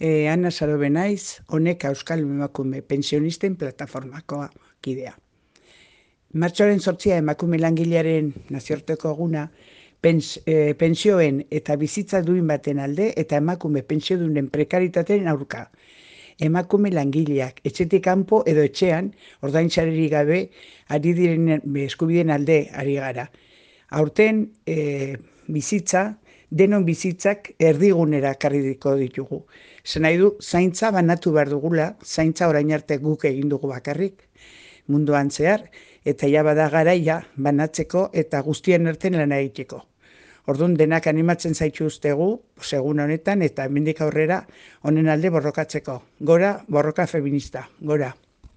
Ana Sarobe naiz, honek Euskal Emakume Pensionisten Plataformakoa kidea. Martxoaren 8 emakume langilearen nazioarteko eguna, pensioen eta bizitza duin baten alde eta emakume pentsiodunen prekaritateen aurka. Emakume langileak etxetik kanpo edo etxean ordaintzarerik gabe ari diren eskubideen alde ari gara. Aurten bizitza, denon bizitzak erdigunera karriko ditugu. Zer nahi du, zaintza banatu behar dugula, zaintza orain arte guk egin dugu bakarrik, munduan zehar, eta ja bada garaia banatzeko eta guztien artean lana egiteko. Orduan denak animatzen zaituztegu, segun honetan, eta hemendik aurrera honen alde borrokatzeko. Gora, borroka feminista, gora.